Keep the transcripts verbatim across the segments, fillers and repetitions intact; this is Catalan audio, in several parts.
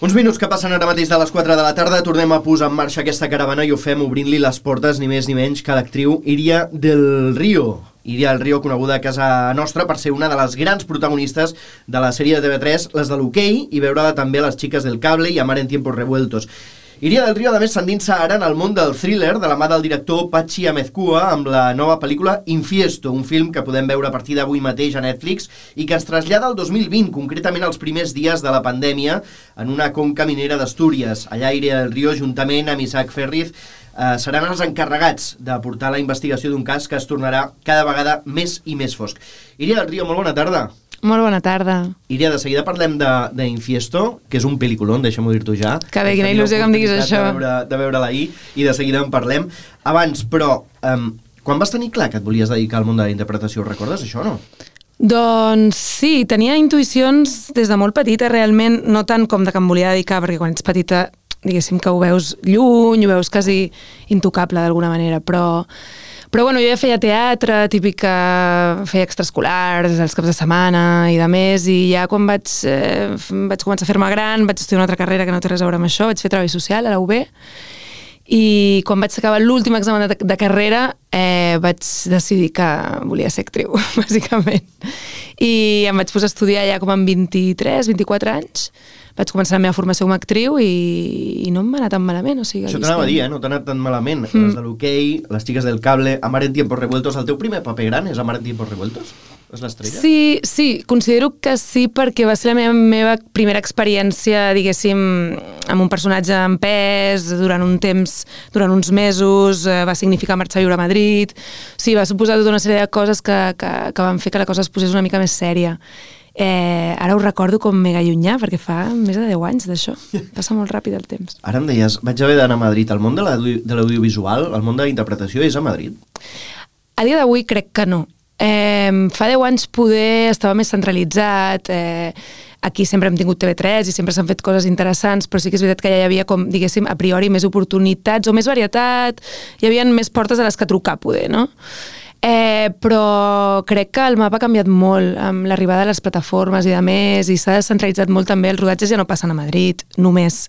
Uns minuts que passen ara mateix de les quatre de la tarda, tornem a posar en marxa aquesta caravana i ho fem obrint-li les portes ni més ni menys que l'actriu Iria del Río. Iria del Río, coneguda a casa nostra per ser una de les grans protagonistes de la sèrie de T V tres, les de l'hoquei, i veure-la també a Les Chicas del Cable i Amar en Tiempos Revueltos. Iria del Río, a més, s'endinsa ara en el món del thriller de la mà del director Patxi Amezcua amb la nova pel·lícula Infiesto, un film que podem veure a partir d'avui mateix a Netflix i que ens trasllada al dos mil vint, concretament als primers dies de la pandèmia, en una conca minera d'Astúries. Allà Iria del Río, juntament amb Isaac Ferriz, eh, seran els encarregats de portar la investigació d'un cas que es tornarà cada vegada més i més fosc. Iria del Río, molt bona tarda. Molt bona tarda. Iria, de seguida parlem d'Infiesto, que és un pel·liculón, deixa'm-ho dir-t'ho ja. Que bé, quina il·lusió que em diguis això. De veure, de veure-la ahir, i de seguida en parlem. Abans, però, um, quan vas tenir clar que et volies dedicar al món de la interpretació, recordes això o no? Doncs sí, tenia intuïcions des de molt petita, realment, no tant com de que em volia dedicar, perquè quan ets petita, diguéssim que ho veus lluny, ho veus quasi intocable d'alguna manera, però... Però bueno, jo ja feia teatre, típic que feia extraescolars, els caps de setmana i de més, i ja quan vaig, eh, vaig començar a fer-me gran, vaig estudiar una altra carrera que no té res a veure amb això, vaig fer treball social a la U B, i quan vaig acabar l'últim examen de, de carrera eh, vaig decidir que volia ser actriu, bàsicament. I em vaig posar a estudiar ja com amb vint-i-tres, vint-i-quatre anys, vaig començar la meva formació com a actriu i, i no em va anar tan malament. O sigui, això t'anava a dir, eh? No t'ha anat tan malament. Mm. Les de l'hoquei, Les Chicas del Cable, Amar en Tiempos Revueltos. El teu primer paper gran és Amar en Tiempos Revueltos? És l'estrella? Sí, sí, considero que sí, perquè va ser la meva, meva primera experiència, diguéssim, amb un personatge en pes, durant un temps, durant uns mesos, eh, va significar marxar a viure a Madrid. O sigui, va suposar tota una sèrie de coses que, que, que van fer que la cosa es posés una mica més sèria. Eh, ara ho recordo com mega llunyà, perquè fa més de deu anys d'això. Passa molt ràpid el temps. Ara em deies, vaig haver d'anar a Madrid. El món de l'audiovisual, el món de la interpretació és a Madrid? A dia d'avui crec que no. Eh, fa deu anys poder estava més centralitzat, eh, aquí sempre hem tingut T V tres i sempre s'han fet coses interessants, però sí que és veritat que ja hi havia, com, diguéssim, a priori més oportunitats o més varietat, hi havia més portes a les que trucar, poder, no? Eh, però crec que el mapa ha canviat molt amb l'arribada de les plataformes i de més, i s'ha descentralitzat molt també. Els rodatges ja no passen a Madrid, només.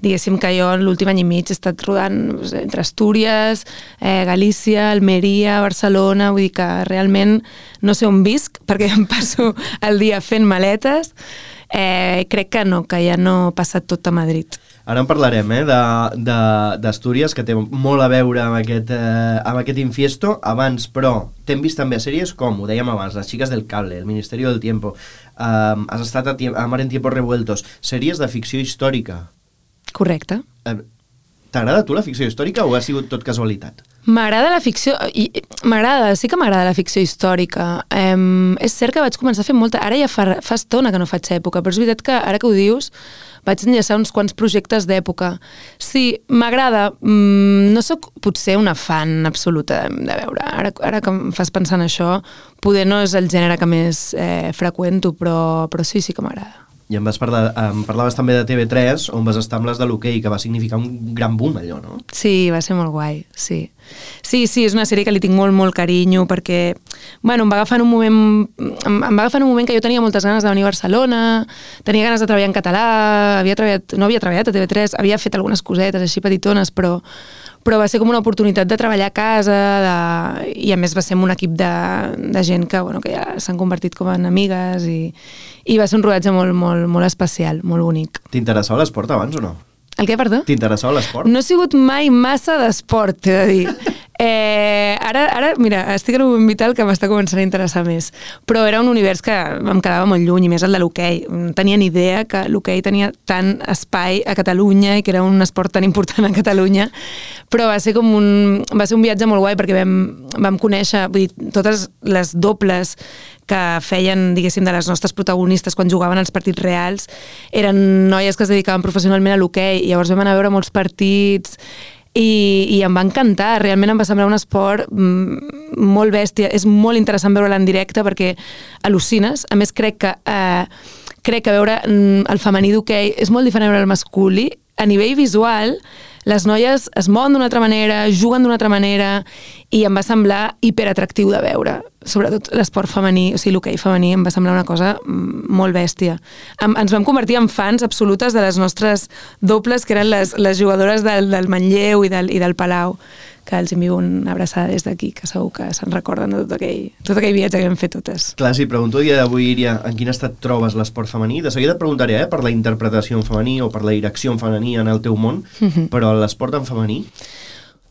Diguéssim que jo l'últim any i mig he estat rodant entre Astúries, eh, Galícia, Almeria, Barcelona, vull dir que realment no sé on visc perquè em passo el dia fent maletes. Eh, crec que no, que ja no passa tot a Madrid. Ara en parlarem, eh, d'Astúries, que té molt a veure amb aquest, eh, amb aquest Infiesto. Abans, però, t'hem vist també a sèries com, ho dèiem abans, Les Chicas del Cable, El Ministerio del Tiempo, eh, has estat a, a Mar en Tiempos Revueltos, sèries de ficció històrica. Correcte. Eh, T'agrada a tu la ficció històrica o ha sigut tot casualitat? M'agrada la ficció, m'agrada, sí que m'agrada la ficció històrica. Um, és cert que vaig començar a fer molta, ara ja fa, fa estona que no faig època, però és veritat que ara que ho dius vaig enllaçar uns quants projectes d'època. Sí, m'agrada, mm, no sóc potser una fan absoluta de, de veure, ara, ara que em fas pensar en això, poder no és el gènere que més eh, freqüento, però, però sí, sí que m'agrada. I em, vas parlar, em parlaves també de T V tres, on vas estar amb les de l'hoquei, que va significar un gran boom, allò, no? Sí, va ser molt guai, sí. Sí, sí, és una sèrie que li tinc molt, molt carinyo, perquè, bueno, em va agafar en un moment, em, em va agafar en un moment que jo tenia moltes ganes de venir a Barcelona, tenia ganes de treballar en català, havia treballat, no havia treballat a T V tres, havia fet algunes cosetes així petitones, però però va ser com una oportunitat de treballar a casa, de... i a més va ser amb un equip de, de gent que, bueno, que ja s'han convertit com en amigues, i, i va ser un rodatge molt, molt, molt especial, molt bonic. T'interessava l'esport abans o no? El què, perdó? T'interessava l'esport? No he sigut mai massa d'esport, t'he de dir. Eh, ara, ara, mira, estic en un moment vital que m'està començant a interessar més. Però era un univers que em quedava molt lluny, i més el de l'hoquei. No tenia ni idea que l'hoquei tenia tant espai a Catalunya i que era un esport tan important a Catalunya. Però va ser com un, va ser un viatge molt guai perquè vam, vam conèixer, vull dir, totes les dobles que feien, diguéssim, de les nostres protagonistes quan jugaven als partits reals eren noies que es dedicaven professionalment a l'hoquei, i llavors vam anar a veure molts partits i, i em va encantar, realment em va semblar un esport mm, molt bèstia, és molt interessant veure-la en directe perquè al·lucines, a més crec que eh, crec que veure mm, el femení d'hoquei és molt diferent a veure el masculí, a nivell visual les noies es mouen d'una altra manera, juguen d'una altra manera, i em va semblar hiperatractiu de veure. sobretot l'esport femení, o sigui, l'hoquei femení em va semblar una cosa molt bèstia. Em, ens vam convertir en fans absolutes de les nostres dobles, que eren les, les jugadores del, del Manlleu i del, i del Palau, que els envio una abraçada des d'aquí, que segur que se'n recorden de tot aquell, tot aquell viatge que vam fer totes. Clar, si pregunto el dia d'avui, Iria, en quin estat trobes l'esport femení? De seguida et preguntaré eh, per la interpretació en femení o per la direcció en femení en el teu món, mm-hmm. però l'esport en femení?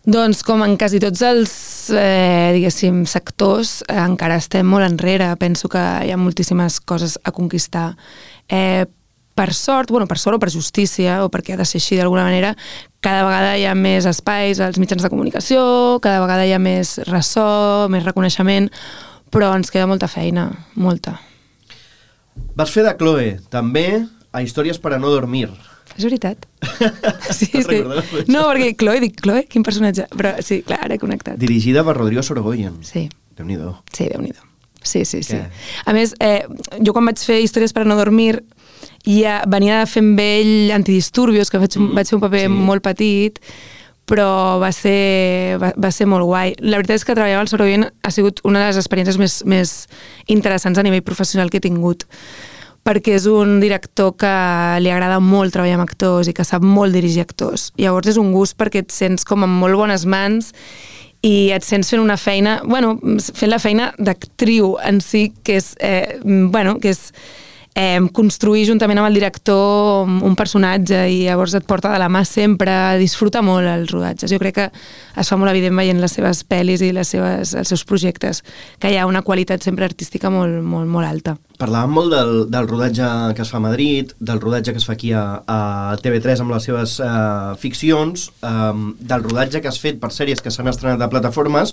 Doncs com en quasi tots els eh, diguéssim, sectors, eh, encara estem molt enrere. Penso que hi ha moltíssimes coses a conquistar. Eh, per sort, bueno, per sort o per justícia, o perquè ha de ser així d'alguna manera, cada vegada hi ha més espais als mitjans de comunicació, cada vegada hi ha més ressò, més reconeixement, però ens queda molta feina, molta. Vas fer de Chloe, també, a Històries per a no dormir. És veritat. Sí, sí. No, perquè Chloe, dic, Chloe, quin personatge? Però sí, clar, ara he connectat. Dirigida per Rodrigo Sorogoyen. Sí. Déu-n'hi-do. Sí, Déu-n'hi-do. Sí, sí, sí. Què? A més, eh, jo quan vaig fer Històries per a no dormir, ja venia de fer amb ell Antidisturbios, que vaig, mm, vaig fer un paper sí. molt petit, però va ser, va, va ser molt guai. La veritat és que treballar amb el Sorogoyen ha sigut una de les experiències més, més interessants a nivell professional que he tingut, perquè és un director que li agrada molt treballar amb actors i que sap molt dirigir actors. Llavors és un gust perquè et sents com en molt bones mans i et sents fent una feina, bueno, fent la feina d'actriu en si, que és, eh, bueno, que és eh, construir juntament amb el director un personatge i llavors et porta de la mà sempre, disfruta molt els rodatges. Jo crec que es fa molt evident veient les seves pel·lis i les seves, els seus projectes, que hi ha una qualitat sempre artística molt, molt, molt alta. Parlàvem molt del, del rodatge que es fa a Madrid, del rodatge que es fa aquí a, a T V tres amb les seves uh, ficcions, um, del rodatge que has fet per sèries que s'han estrenat a plataformes,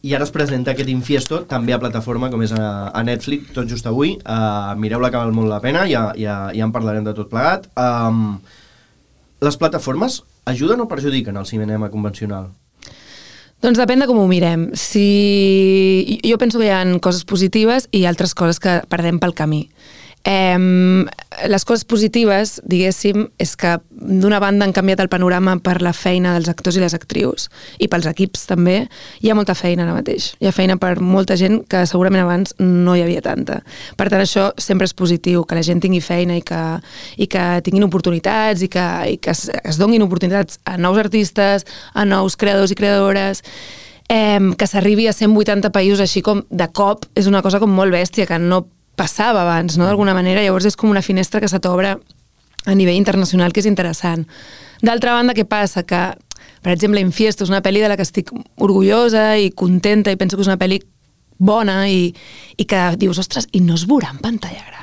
i ara es presenta aquest Infiesto també a plataforma, com és a, a Netflix, tot just avui. Uh, mireu-la, que val molt la pena, ja, ja, ja en parlarem de tot plegat. Um, les plataformes ajuden o perjudiquen el cinema convencional? Doncs depèn de com ho mirem. Si... Jo penso que hi ha coses positives i altres coses que perdem pel camí. Eh, les coses positives, diguéssim, és que d'una banda han canviat el panorama per la feina dels actors i les actrius i pels equips també. Hi ha molta feina ara mateix. Hi ha feina per molta gent que segurament abans no hi havia tanta. Per tant, això sempre és positiu, que la gent tingui feina i que, i que tinguin oportunitats i que, i que es, es donin oportunitats a nous artistes, a nous creadors i creadores. Eh, que s'arribi a cent vuitanta països així com de cop és una cosa com molt bèstia, que no passava abans, no? D'alguna manera. Llavors és com una finestra que se t'obre a nivell internacional, que és interessant. D'altra banda, què passa? Que, per exemple, Infiesto és una pel·li de la que estic orgullosa i contenta i penso que és una pel·li bona i, i que dius, ostres, i no es veurà en pantalla gran?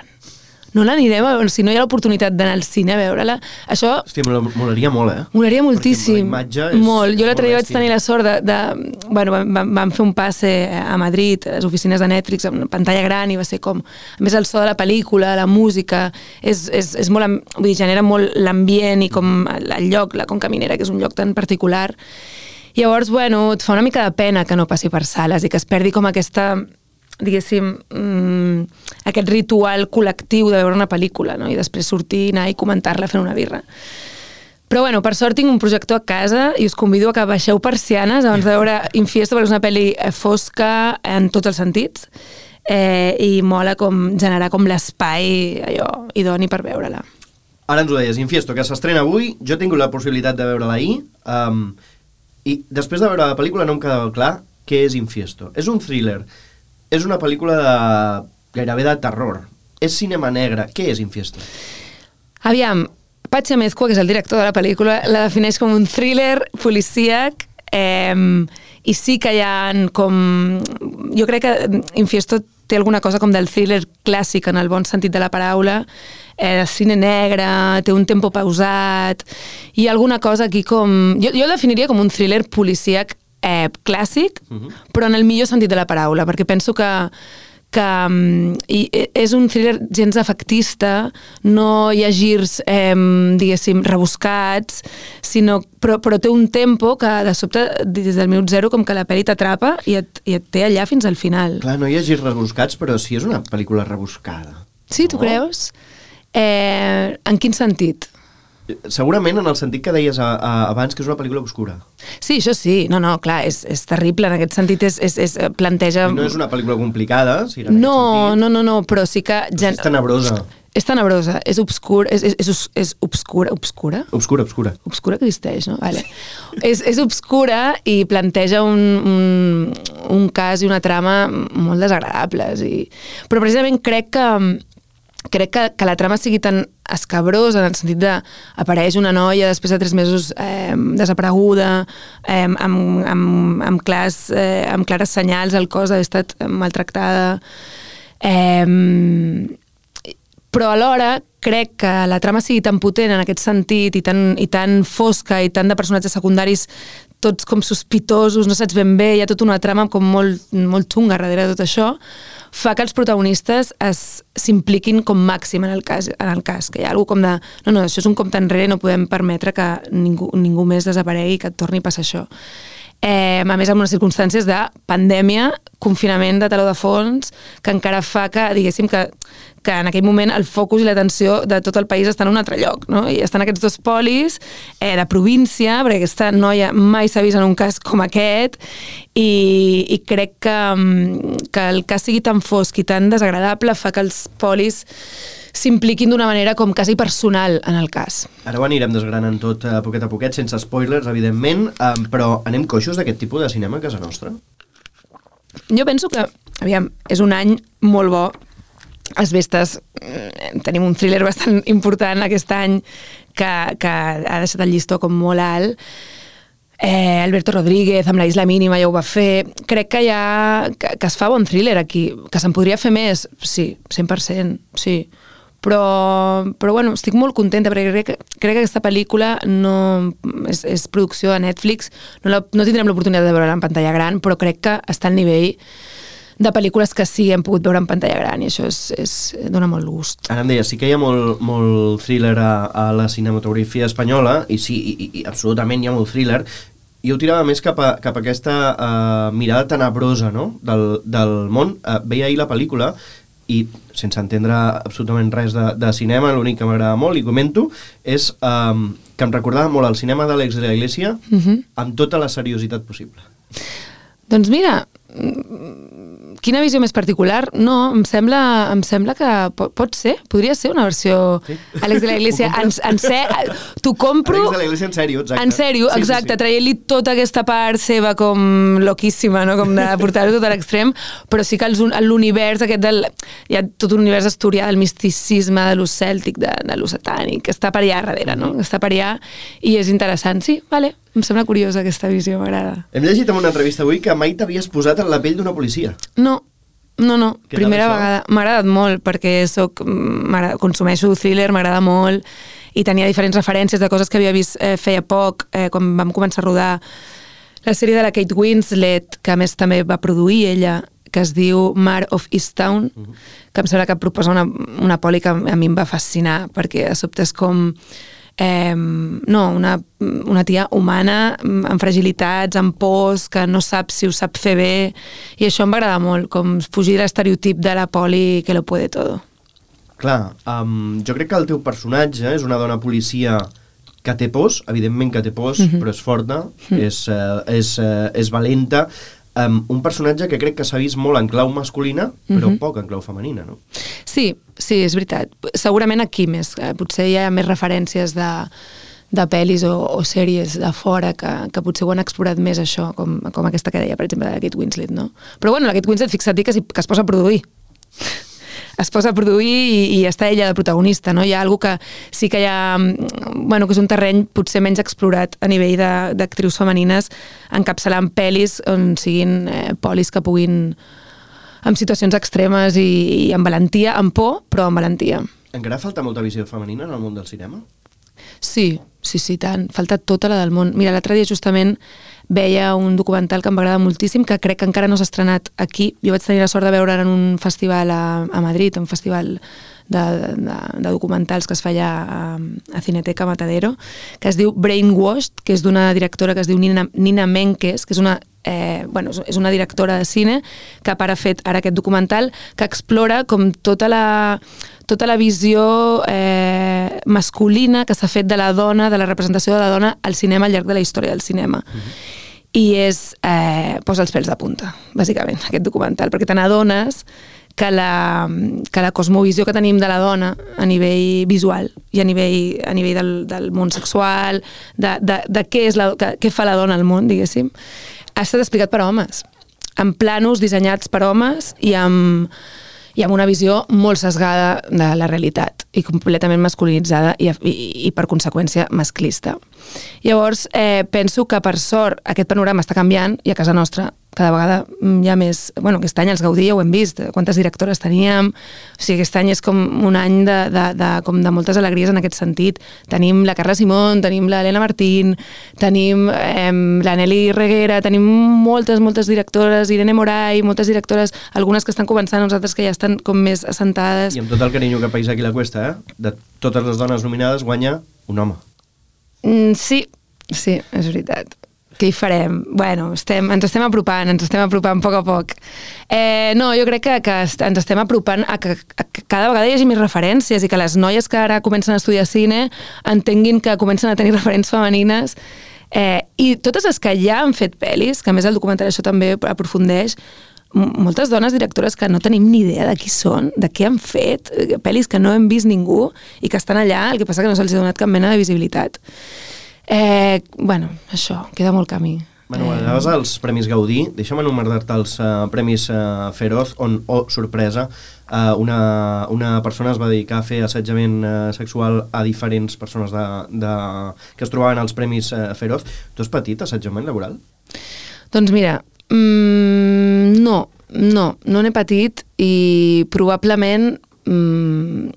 No l'anirem a veure, si no hi ha l'oportunitat d'anar al cine a veure-la. Això... Hòstia, molaria molt, eh? Molaria moltíssim. La imatge és molt. Jo l'altre dia vaig bèstia. tenir la sort de... de bueno, vam, vam fer un passe a Madrid, a les oficines de Netflix, amb una pantalla gran, i va ser com... A més, el so de la pel·lícula, la música, és, és, és molt... Vull dir, genera molt l'ambient i com el lloc, la Conca Minera, que és un lloc tan particular. Llavors, bueno, et fa una mica de pena que no passi per sales i que es perdi com aquesta... diguéssim, mmm, aquest ritual col·lectiu de veure una pel·lícula, no? I després sortir, anar i comentar-la fent una birra. Però bueno, per sort tinc un projector a casa i us convido a que baixeu persianes abans de veure Infiesto, perquè és una pel·li fosca en tots els sentits eh, i mola com generar com l'espai allò idoni per veure-la. Ara ens ho deies, Infiesto, que s'estrena avui, jo he tingut la possibilitat de veure-la ahir, um, i després de veure la pel·lícula no em quedava clar què és Infiesto. És un thriller. És una pel·lícula de, gairebé de terror. És cinema negre. Què és Infiesto? Aviam, Patxi Amezcua, que és el director de la pel·lícula, la defineix com un thriller policíac eh, i sí que hi ha com... Jo crec que Infiesto té alguna cosa com del thriller clàssic en el bon sentit de la paraula, eh, de cine negre, té un tempo pausat, i alguna cosa aquí com... Jo, jo el definiria com un thriller policíac Eh, clàssic, uh-huh. però en el millor sentit de la paraula, perquè penso que, que um, i, és un thriller gens efectista, no hi ha girs, eh, diguéssim, rebuscats, sinó, però, però té un tempo que de sobte, des del minut zero, com que la pel·li t'atrapa i, et, i et té allà fins al final. Clar, no hi ha girs rebuscats, però sí és una pel·lícula rebuscada. Sí, tu no? creus? Eh, en quin sentit? segurament en el sentit que deies a, a, abans que és una pel·lícula obscura. Sí, això sí, no, no, clar, és, és terrible, en aquest sentit és, és, és planteja... I no és una pel·lícula complicada, si en no, aquest sentit. No, no, no, però sí que... Però és tenebrosa. És tenebrosa, és obscur, és, és, és, és obscura, obscura? Obscura, obscura. Obscura que existeix, no? Vale. és, és obscura i planteja un, un, un cas i una trama molt desagradables. I... Però precisament crec que crec que, que la trama sigui tan escabrosa en el sentit de apareix una noia després de tres mesos eh, desapareguda, eh, amb, amb, amb, clars, eh, amb clares senyals al cos d'haver estat maltractada. Eh, però alhora crec que la trama sigui tan potent en aquest sentit i tan, i tan fosca i tant de personatges secundaris tots com sospitosos, no saps ben bé, hi ha tota una trama com molt, molt xunga darrere de tot això, fa que els protagonistes s'impliquin com màxim en el cas, en el cas, que hi ha alguna com de, no, no, això és un compte enrere, no podem permetre que ningú, ningú més desaparegui, que et torni a passar això. Eh, a més, en unes circumstàncies de pandèmia, confinament de taló de fons, que encara fa que, diguéssim, que, que en aquell moment el focus i l'atenció de tot el país està en un altre lloc, no? I estan aquests dos polis eh, de província, perquè aquesta noia mai s'ha vist en un cas com aquest, i, i crec que, que el cas sigui tan fosc i tan desagradable fa que els polis s'impliquin d'una manera com quasi personal en el cas. Ara ho anirem desgranant tot a poquet a poquet, sense spoilers, evidentment, um, però anem coixos d'aquest tipus de cinema a casa nostra? Jo penso que, aviam, és un any molt bo. Els Vestes, tenim un thriller bastant important aquest any que, que ha deixat el llistó com molt alt. Eh, Alberto Rodríguez, amb La isla mínima, ja ho va fer. Crec que, ha, que, que es fa bon thriller aquí. Que se'n podria fer més? Sí, cent per cent, sí. Però, però bueno, estic molt contenta perquè crec, crec que aquesta pel·lícula no és, és producció de Netflix, no, la, no tindrem l'oportunitat de veure-la en pantalla gran, però crec que està al nivell de pel·lícules que sí hem pogut veure en pantalla gran i això és, és, dona molt gust. Ara em deia, sí que hi ha molt, molt thriller a, a la cinematografia espanyola i sí, i, i absolutament hi ha molt thriller. Jo tirava més cap a, cap a aquesta uh, mirada tenebrosa, no? del, del món. Uh, veia ahir la pel·lícula i sense entendre absolutament res de, de cinema, l'únic que m'agrada molt, i comento, és um, que em recordava molt el cinema d'Àlex de la Iglesia uh-huh. amb tota la seriositat possible. Doncs mira, quina visió més particular. No, em sembla, em sembla que pot, pot ser, podria ser una versió sí. Àlex de la Iglesia en, en ser, t'ho compro Àlex de la Iglesia en sèrio, exacte. En sèrio, sí, exacte, sí, sí. Traient-li tota aquesta part seva com loquíssima, no? Com de portar-ho tot a l'extrem, però sí que l'univers aquest del, hi ha tot un univers asturià del misticisme, de lo cèltic, de, de lo satànic, que està per allà darrere, no? Que està per allà i és interessant, sí, vale. Em sembla curiosa aquesta visió, m'agrada. Hem llegit en una entrevista avui que mai t'havies posat en la pell d'una policia. No, no, no. Primera vegada. M'ha agradat molt perquè soc, consumeixo thriller, m'agrada molt i tenia diferents referències de coses que havia vist eh, feia poc, eh, quan vam començar a rodar la sèrie de la Kate Winslet, que a més també va produir ella, que es diu Mare of Easttown, uh-huh. que em sembla que proposa una, una poli que a mi em va fascinar, perquè de sobte és com... Eh, no, una, una tia humana amb fragilitats, amb pors, que no sap si ho sap fer bé, i això em va agradar molt, com fugir de l'estereotip de la poli que lo puede todo. Clar, um, jo crec que el teu personatge és una dona policia que té pors, evidentment que té pors, mm-hmm. però és forta, mm-hmm. és, uh, és, uh, és valenta, um, un personatge que crec que s'ha vist molt en clau masculina, però mm-hmm. poc en clau femenina, no? Sí, sí, és veritat. Segurament aquí més. Eh? Potser hi ha més referències de, de pel·lis o, o sèries de fora que, que potser ho han explorat més això, com, com aquesta que deia, per exemple, de la Kate Winslet, no? Però bueno, la Kate Winslet, fixa't que, que es posa a produir. Es posa a produir i, i està ella de protagonista, no? Hi ha alguna que sí que hi ha... Bueno, que és un terreny potser menys explorat a nivell d'actrius femenines, encapçalant pel·lis on siguin eh, polis que puguin... amb situacions extremes i, i amb valentia, amb por, però amb valentia. Encara falta molta visió femenina en el món del cinema? Sí, sí, sí, tant. Falta tota la del món. Mira, l'altre dia justament veia un documental que em va agradar moltíssim, que crec que encara no s'ha estrenat aquí. Jo vaig tenir la sort de veure en un festival a, a Madrid, un festival de, de, de documentals que es feia a, a Cineteca Matadero, que es diu Brainwashed, que és d'una directora que es diu Nina, Nina Menkes, que és una eh, bueno, és una directora de cine que ara ha fet ara aquest documental que explora com tota la, tota la visió eh, masculina que s'ha fet de la dona, de la representació de la dona al cinema al llarg de la història del cinema. Mm-hmm. I és, eh, posa els pèls de punta, bàsicament, aquest documental, perquè te n'adones que la, que la cosmovisió que tenim de la dona a nivell visual i a nivell, a nivell del, del món sexual, de, de, de què, és la, que, què fa la dona al món, diguéssim, ha estat explicat per homes, amb planos dissenyats per homes i amb, i amb una visió molt sesgada de la realitat i completament masculinitzada i, i, i per conseqüència masclista. Llavors, eh, penso que per sort aquest panorama està canviant i a casa nostra cada vegada hi ha més... Bueno, aquest any els Gaudí ja ho hem vist, quantes directores teníem, o sigui, aquest any és com un any de, de, de, com de moltes alegries en aquest sentit. Tenim la Carla Simón, tenim la Elena Martín, tenim eh, la Nelly Reguera, tenim moltes, moltes directores, Irene Moray, moltes directores, algunes que estan començant, uns altres que ja estan com més assentades. I amb tot el carinyo que país aquí la cuesta, eh? De totes les dones nominades guanya un home. Mm, sí, sí, és veritat. Què hi farem? Bueno, estem, ens estem apropant, ens estem apropant a poc a poc. Eh, no, jo crec que, que ens estem apropant a que, a que cada vegada hi hagi més referències i que les noies que ara comencen a estudiar cine entenguin que comencen a tenir referents femenines eh, i totes les que ja han fet pel·lis, que a més el documental això també aprofundeix, moltes dones directores que no tenim ni idea de qui són, de què han fet, pel·lis que no hem vist ningú i que estan allà, el que passa que no se'ls ha donat cap mena de visibilitat. Eh, bueno, això, queda molt camí. Bueno, eh... anaves als Premis Gaudí, deixa'm enumerar-te els uh, Premis uh, Feroz, on, oh, sorpresa, uh, una, una persona es va dedicar a fer assetjament uh, sexual a diferents persones de, de, que es trobaven als Premis uh, Feroz. Tu has patit assetjament laboral? Doncs mira, mm, no, no, no n'he patit i probablement... Mm,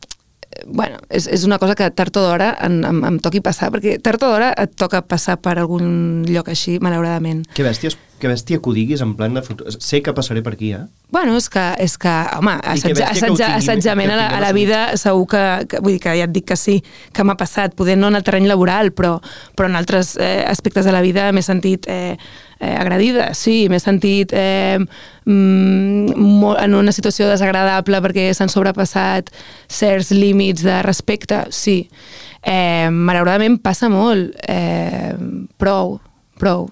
bueno, és, és una cosa que tard o d'hora em, em, em toqui passar, perquè tard o d'hora et toca passar per algun lloc així, malauradament. Que bèsties, que bèstia que ho diguis en plan de futur. Sé que passaré per aquí, eh? Bueno, és que, és que home, assetja, assetja, assetjament a la, a la vida segur que, que, vull dir que ja et dic que sí, que m'ha passat, poder no en el terreny laboral, però, però en altres eh, aspectes de la vida m'he sentit eh, eh, agredida, sí, m'he sentit eh, mm, en una situació desagradable perquè s'han sobrepassat certs límits de respecte, sí. Eh, malauradament passa molt, eh, prou, prou.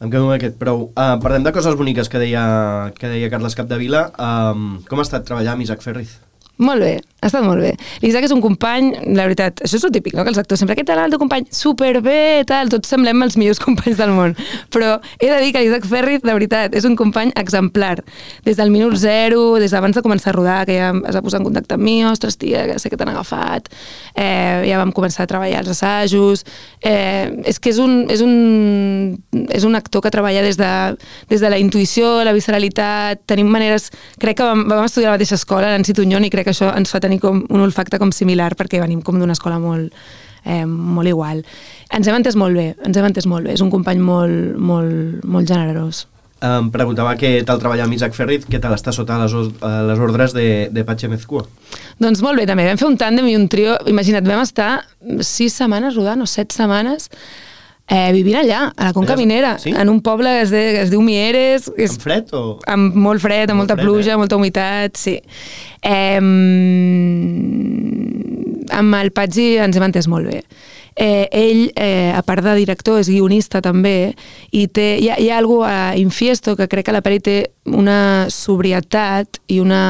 Em quedo amb aquest prou. Uh, parlem de coses boniques que deia, que deia Carles Capdevila. Um, com ha estat treballar amb Isaac Ferriz? Molt bé, ha estat molt bé. L'Isaac és un company, la veritat, això és el típic, no?, que els actors sempre, què tal el teu company? Superbé, tal, tots semblem els millors companys del món. Però he de dir que l'Isaac Ferriz, de veritat, és un company exemplar. Des del minut zero, des d'abans de començar a rodar, que ja es va posar en contacte amb mi, ostres, tia, que sé que t'han agafat, eh, ja vam començar a treballar els assajos. Eh, és que és un, és, un, és un actor que treballa des de, des de la intuïció, la visceralitat, tenim maneres... Crec que vam, vam estudiar a la mateixa escola, Nancy Tunyón, i crec que això ens fa tenir com un olfacte com similar perquè venim com d'una escola molt, eh, molt igual. Ens hem entès molt bé, ens hem entès molt bé. És un company molt, molt, molt generós. Em preguntava què tal treballar amb Isaac Ferriz, què tal estar sota les, les ordres de, de Patxe Mezcua? Doncs molt bé, també. Vam fer un tàndem i un trio. Imagina't, vam estar sis setmanes rodant, o set setmanes, Eh, vivint allà, a la Conca Minera, sí? En un poble que es, de, que es diu Mieres. És, amb fred o...? Amb molt fred, amb molt molta fred, pluja, eh? Molta humitat, sí. Eh, amb el Patxi ens hem entès molt bé. Eh, ell, eh, a part de director, és guionista també, i té, hi ha, hi ha alguna cosa a Infiesto que crec que la pel·li té una sobrietat i una...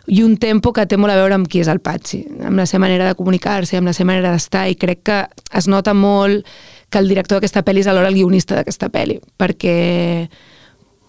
i un tempo que té molt a veure amb qui és el Patxi, amb la seva manera de comunicar-se, amb la seva manera d'estar, i crec que es nota molt que el director d'aquesta pel·li és alhora el guionista d'aquesta pel·li, perquè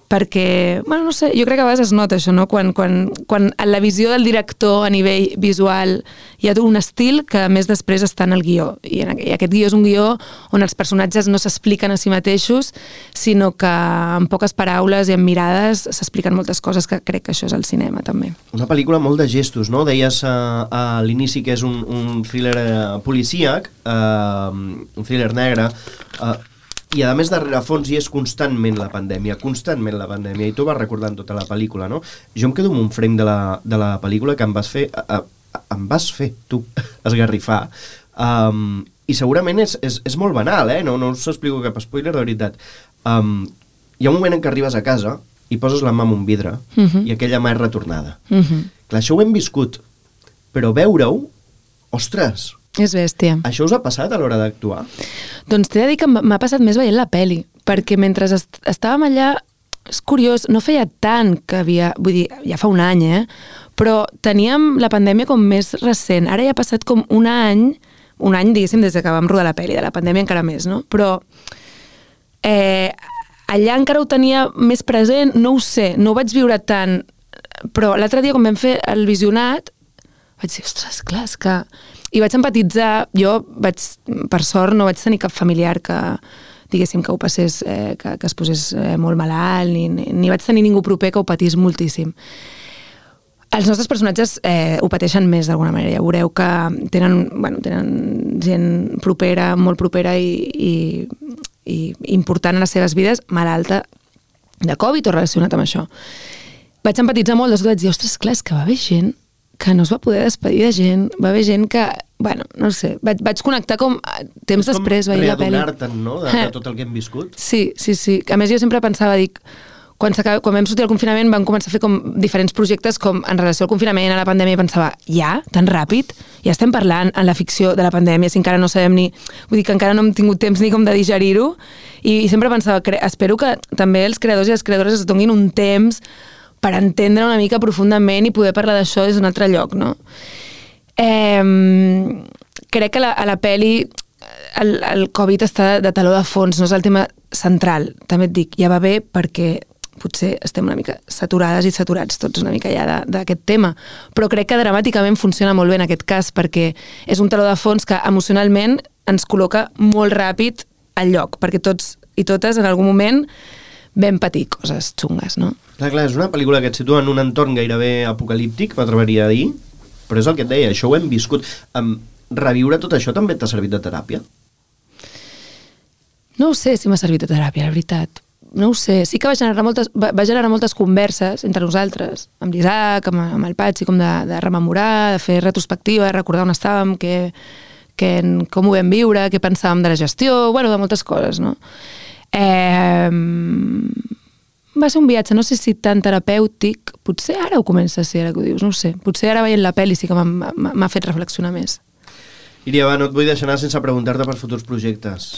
perquè, bueno, no sé, jo crec que a vegades es nota això, no? Quan, quan, quan en la visió del director a nivell visual hi ha un estil que a més després està en el guió, i, en, i aquest guió és un guió on els personatges no s'expliquen a si mateixos, sinó que amb poques paraules i amb mirades s'expliquen moltes coses, que crec que això és el cinema també. Una pel·lícula molt de gestos, no? Deies uh, a l'inici que és un, un thriller uh, policíac, uh, un thriller negre, uh, i a més de rerefons hi és constantment la pandèmia, constantment la pandèmia, i tu vas recordant tota la pel·lícula, no? Jo em quedo amb un frame de la, de la pel·lícula que em vas fer, a, a, em vas fer, tu, esgarrifar, um, i segurament és, és, és molt banal, eh? No, no us explico cap spoiler, de veritat. Um, hi ha un moment en què arribes a casa i poses la mà en un vidre uh-huh. i aquella mà és retornada. Uh-huh. Clar, això ho hem viscut, però veure-ho, ostres... És bèstia. Això us ha passat a l'hora d'actuar? Doncs t'he de dir que m'ha passat més veient la peli, perquè mentre est estàvem allà, és curiós, no feia tant que havia... Vull dir, ja fa un any, eh? Però teníem la pandèmia com més recent. Ara ja ha passat com un any, un any, diguéssim, des que vam rodar la peli, de la pandèmia encara més, no? Però eh, allà encara ho tenia més present, no ho sé, no ho vaig viure tant, però l'altre dia, quan vam fer el visionat, vaig dir, ostres, clar, és que... I vaig empatitzar, jo vaig, per sort, no vaig tenir cap familiar que, diguéssim, que ho passés, eh, que, que es posés eh, molt malalt, ni, ni vaig tenir ningú proper que ho patís moltíssim. Els nostres personatges eh, ho pateixen més d'alguna manera, ja veureu que tenen, bueno, tenen gent propera, molt propera i, i, i important en les seves vides, malalta de Covid o relacionat amb això. Vaig empatitzar molt, després vaig dir, ostres, clar, és que va haver gent que no es va poder despedir de gent, va haver gent que, bueno, no sé, vaig, vaig connectar com temps és després veient la pel·li. És com readonar-te'n, no?, de, de tot el que hem viscut. Sí, sí, sí. A més, jo sempre pensava, dic, quan, quan vam sortir al confinament vam començar a fer com diferents projectes com en relació al confinament, a la pandèmia, i pensava, ja, tan ràpid? Ja estem parlant en la ficció de la pandèmia, si encara no sabem ni... Vull dir que encara no hem tingut temps ni com de digerir-ho, i, i sempre pensava, espero que també els creadors i les creadores es donin un temps per entendre una mica profundament i poder parlar d'això des d'un altre lloc, no? Eh, crec que la, a la peli el, el Covid està de taló de fons, no és el tema central. També et dic, ja va bé perquè potser estem una mica saturades i saturats tots una mica ja d'aquest tema, però crec que dramàticament funciona molt bé en aquest cas perquè és un taló de fons que emocionalment ens col·loca molt ràpid al lloc, perquè tots i totes en algun moment vam patir coses xungues, no? Clar, clar, és una pel·lícula que et situa en un entorn gairebé apocalíptic, m'atreveria a dir, però és el que et deia, això ho hem viscut. Um, reviure tot això també t'ha servit de teràpia? No ho sé si m'ha servit de teràpia, la veritat. No ho sé. Sí que va generar moltes, va, va generar moltes converses entre nosaltres, amb l'Isaac, amb, amb el Patxi, com de, de rememorar, de fer retrospectiva, de recordar on estàvem, que, que, com ho vam viure, què pensàvem de la gestió, bueno, de moltes coses, no? Eh, va ser un viatge, no sé si tan terapèutic, potser ara ho comença a ser, ara que ho dius, no ho sé, potser ara veient la pel·li sí que m'ha fet reflexionar més. Iria, va, no et vull deixar anar sense preguntar-te per futurs projectes.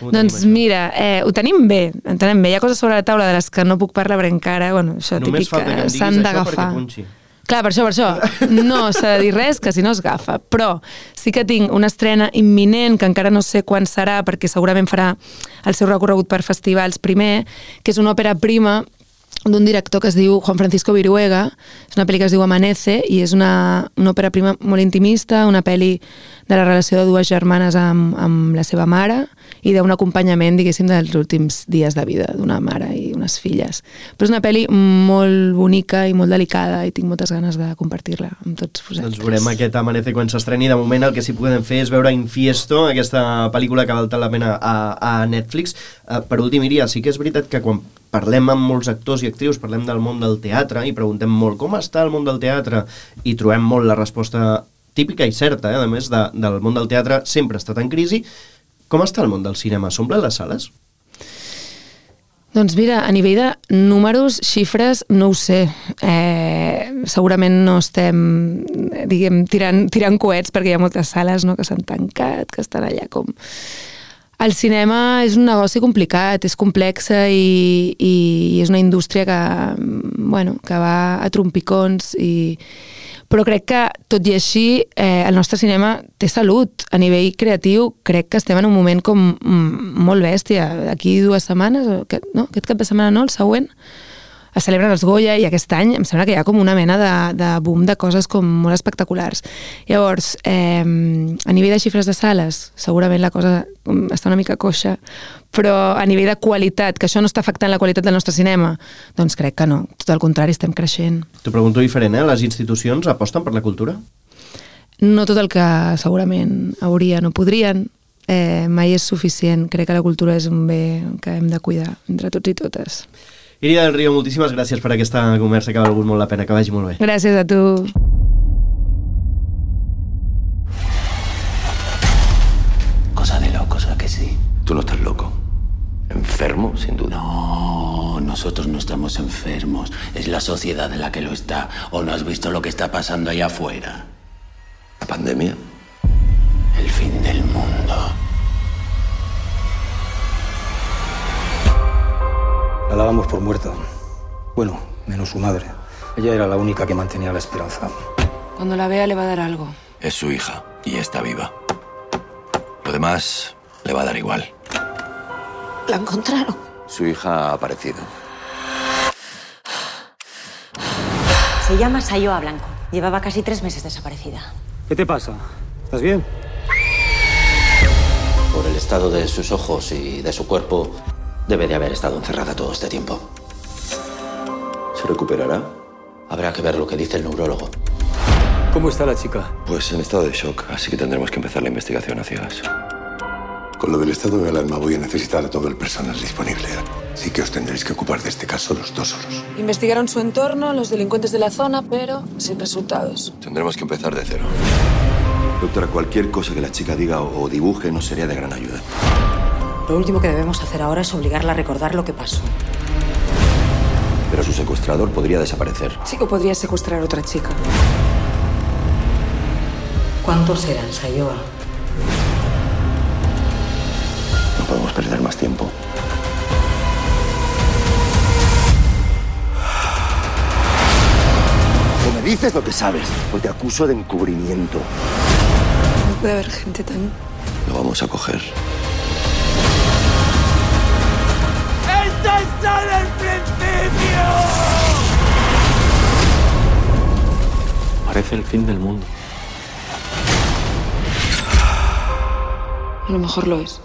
Doncs mira, eh, ho tenim bé, entenem bé, hi ha coses sobre la taula de les que no puc parlar perquè encara, bueno, això només típic que s'han d'agafar. punxi. Clar, per això, per això, no s'ha de dir res que si no es agafa, però sí que tinc una estrena imminent que encara no sé quan serà perquè segurament farà el seu recorregut per festivals primer, que és una òpera prima d'un director que es diu Juan Francisco Viruega, és una pel·li que es diu Amanece i és una, una òpera prima molt intimista, una pel·li de la relació de dues germanes amb, amb la seva mare i d'un acompanyament, diguéssim, dels últims dies de vida d'una mare i unes filles. Però és una pel·li molt bonica i molt delicada i tinc moltes ganes de compartir-la amb tots vosaltres. Doncs veurem aquest Amanece quan s'estreni. De moment el que sí podem fer és veure Infiesto, aquesta pel·lícula que val tant la pena a, a Netflix. Uh, per últim, Iria, sí que és veritat que quan parlem amb molts actors i actrius, parlem del món del teatre i preguntem molt com està el món del teatre i trobem molt la resposta típica i certa, eh? A més, de, del món del teatre sempre ha estat en crisi. Com està el món del cinema? S'omplen les sales? Doncs mira, a nivell de números, xifres, no ho sé. Eh, segurament no estem, diguem, tirant, tirant coets perquè hi ha moltes sales, no?, que s'han tancat, que estan allà com... El cinema és un negoci complicat, és complexa i, i és una indústria que, bueno, que va a trompicons i... Però crec que, tot i així, eh, el nostre cinema té salut. A nivell creatiu, crec que estem en un moment com molt bèstia. D'aquí dues setmanes, aquest, no? aquest cap de setmana no, el següent, es celebren els Goya i aquest any em sembla que hi ha com una mena de, de boom de coses com molt espectaculars. Llavors, eh, a nivell de xifres de sales, segurament la cosa està una mica coixa, però a nivell de qualitat, que això no està afectant la qualitat del nostre cinema, doncs crec que no. Tot al contrari, estem creixent. T'ho pregunto diferent, eh? Les institucions aposten per la cultura? No tot el que segurament haurien o podrien. Eh, mai és suficient. Crec que la cultura és un bé que hem de cuidar entre tots i totes. Iria del Río, moltíssimes gràcies per aquesta conversa que ha valgut molt la pena, que vagi molt bé. Gràcies a tu. cosa de locos, ¿a que sí? Tú no estás loco. Enfermo, sin duda. No, nosotros no estamos enfermos. Es la sociedad la que lo está. ¿O no has visto lo que está pasando allá afuera? ¿La pandemia? El fin del mundo. La dábamos por muerta. Bueno, menos su madre. Ella era la única que mantenía la esperanza. Cuando la vea le va a dar algo. Es su hija y está viva. Lo demás le va a dar igual. ¿La encontraron? Su hija ha aparecido. Se llama Sayoa Blanco. Llevaba casi tres meses desaparecida. ¿Qué te pasa? ¿Estás bien? Por el estado de sus ojos y de su cuerpo, debe de haber estado encerrada todo este tiempo. ¿Se recuperará? Habrá que ver lo que dice el neurólogo. ¿Cómo está la chica? Pues en estado de shock, así que tendremos que empezar la investigación a ciegas. Con lo del estado de alarma voy a necesitar a todo el personal disponible. Así que os tendréis que ocupar de este caso los dos solos. Investigaron su entorno, los delincuentes de la zona, pero sin resultados. Tendremos que empezar de cero. Doctora, cualquier cosa que la chica diga o dibuje nos sería de gran ayuda. Lo último que debemos hacer ahora es obligarla a recordar lo que pasó. Pero su secuestrador podría desaparecer. Chico podría secuestrar a otra chica. ¿Cuántos eran, Sayoa? No podemos perder más tiempo. O me dices lo que sabes, o te acuso de encubrimiento. No puede haber gente tan... Lo vamos a coger. ¡Esto es solo el principio! Parece el fin del mundo. A lo mejor lo es.